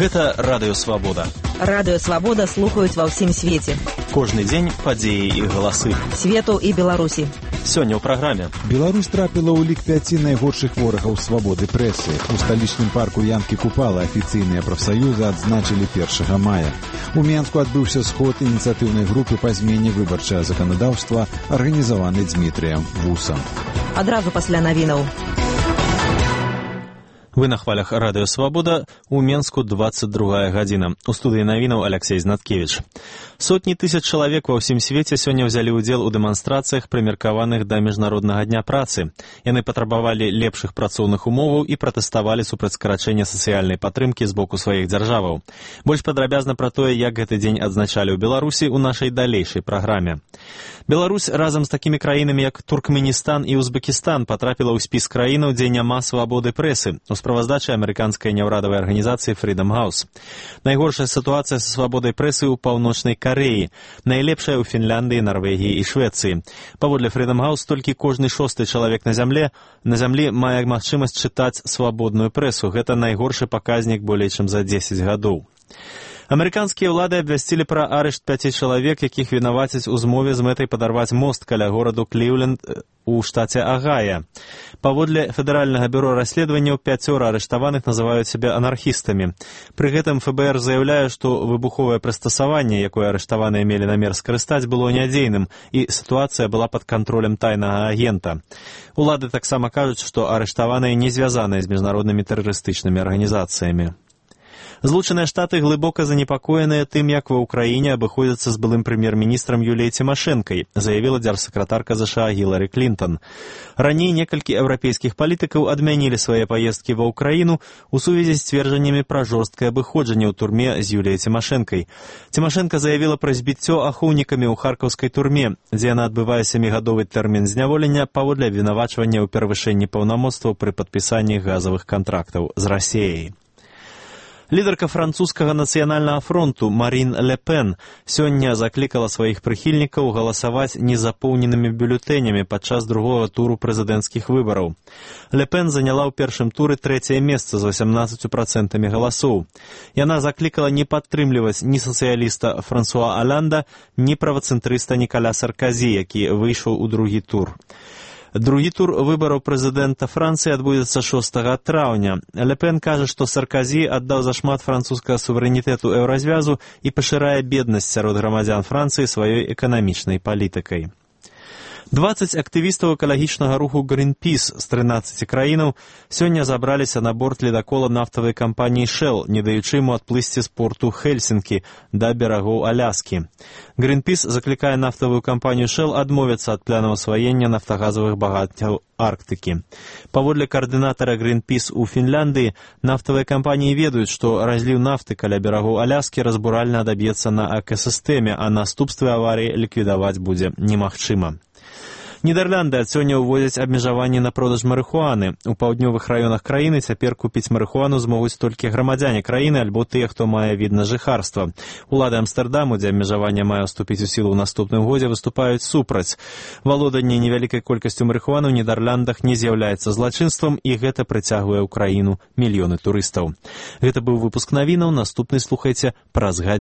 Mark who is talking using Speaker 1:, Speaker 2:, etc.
Speaker 1: Гэта Радыё Свабода.
Speaker 2: Радыё Свабода слухаюць ва ўсім свеце.
Speaker 1: Кожны дзень падзеі і галасы.
Speaker 2: Свету і Беларусі.
Speaker 1: Сёння ў праграме.
Speaker 3: Беларусь трапіла ў лік 5 найгоршых ворагаў свабоды прэсы. У сталічным парку Янкі Купала афіцыйныя прафсаюзы адзначылі 1 мая. У Менску адбыўся сход ініцыятыўнай групы па змене выбарчага заканадаўства, арганізаваны Дмітрыем Вусам.
Speaker 2: Адразу пасля навінаў.
Speaker 1: Вы на хвалях Радыё Свабода, у Менску 22 гадзіна. У студыі навінаў Алексей Знаткевич. Сотні тысяч чалавек ва ўсім свеце сёння ўзялі ўдзел у дэманстрацыях, прымеркаваных да Міжнароднага дня працы. Яны патрабавалі лепшых працоўных умоваў і пратэставалі супраць скарачэння сацыяльнай падтрымкі з боку сваіх дзяржаваў. Больш падрабязна пра тое, як гэты дзень адзначалі ў Беларусі, у нашай далейшай праграме. Беларусь разам з такімі краінамі, як Туркменістан і Узбекістан, патрапіла ў спіс краінаў, дзе няма свабоды прэсы, у справаздачы амерыканскай няўрадавай арганізацыі Freedom House. Найгоршая сітуацыя са свабодай прэсы ў Паўночнай Карэі, найлепшая ў Фінляндыі, Нарвегіі і Швецыі. Паводле Freedom House, толькі кожны 6-й чалавек на зямлі мае магчымасць чытаць свабодную прэсу. Гэта найгоршы паказнік болей чым за 10 гадоў. Амерыканскія ўлады абвясцілі пра арышт 5 чалавек, якіх вінавацяць у змове з мэтай падарваць мост каля гораду Кліўленд у штаце Агая. Паводле Федэральнага бюро расследаванняў 5 арыштаваных называюць сябе анархістамі. Пры гэтым ФБР заяўляе, што выбуховае прыстасаванне, якое арыштаваныя мелі намер скарыстаць, было нядзейным, і сітуацыя была пад кантролем тайнага агента. Улады таксама кажуць, што арыштаваныя не звязаныя з міжнароднымі тэрарыстычнымі арганізацыямі. Злучаныя Штаты глыбока занепакоеныя тым, як ва ўкраіне абыходзяцца з былым прэм'ер-міністрам Юліяй Цімашэнкай, заявіла дзяржсакратарка ЗША Гілары Клінтон. Раней некалькі еўрапейскіх палітыкаў адмянілі свае паездкі ва ўкраіну у сувязі з сцверджаннямі пра жорсткае абыходжанне ў турме з Юліяй Цімашэнкай. Цімашэнка заявіла пра збіццё ахоўнікамі ў харкаўскай турме, дзе яна адбывае 7-гадовы тэрмін зняволення паводле абвінавачвання ў перавышэнні паўнамоцтваў пры падпісанні газавых кантрактаў з Расіяй. Лідарка французскага нацыянальнага фронту Марін Ле Пен сёння заклікала сваіх прыхільнікаў галасаваць незапоўненымі бюлетэнямі падчас другога туру прэзідэнцкіх выбараў. Ле Пен заняла ў першым туры 3-е месца з 18% галасоў. Яна заклікала не падтрымліваць ні сацыяліста Франсуа Аланда, ні правацэнтрыста Нікаля Сарказі, які выйшаў у другі тур. Другі тур выбараў прэзідэнта Францыі адбудзецца 6 траўня. Ле Пен кажа, што Сарказі аддаў зашмат французскага суверэнітэту еўразвязу і пашырае беднасць сярод грамадзян Францыі сваёй эканамічнай палітыкай. 20 актывістаў экалагічнага руху Greenpeace з 13 краінаў сёння забраліся на борт ледакола нафтавай кампаніі Shell, не даючы ему адплысці з порту Хельсінкі да берагоў Аляскі. Greenpeace заклікае нафтавую кампанію Shell адмовіцца ад планаў асваення нафтагазавых багаццяў Арктыкі. Паводле каардынатара Greenpeace у Фінляндыі, нафтавыя кампаніі ведаюць, што разліў нафты каля берагоў Аляскі разбуральна адаб'ецца на экасістэме, а наступствы аварыі ліквідаваць будзе немагчыма. Нідерланды ад сёння ўводзяць абмежаванні на продаж марыхуаны. У паўднёвых раёнах краіны цяпер купіць марыхуану змогуць толькі грамадзяне краіны альбо тыя, хто мае від на жыхарства. Улады Амстэрдаму, дзе абмежаванне мае ўступіць у сілу ў наступным годзе, выступаюць супраць. Валоданне невялікай колькасцю марыхуаны ў Нідерландах не з'яўляецца злачынствам, і гэта прыцягвае ў краіну мільёны турыстаў. Гэта быў выпуск навінаў, наступны слухайце праз гадзіну.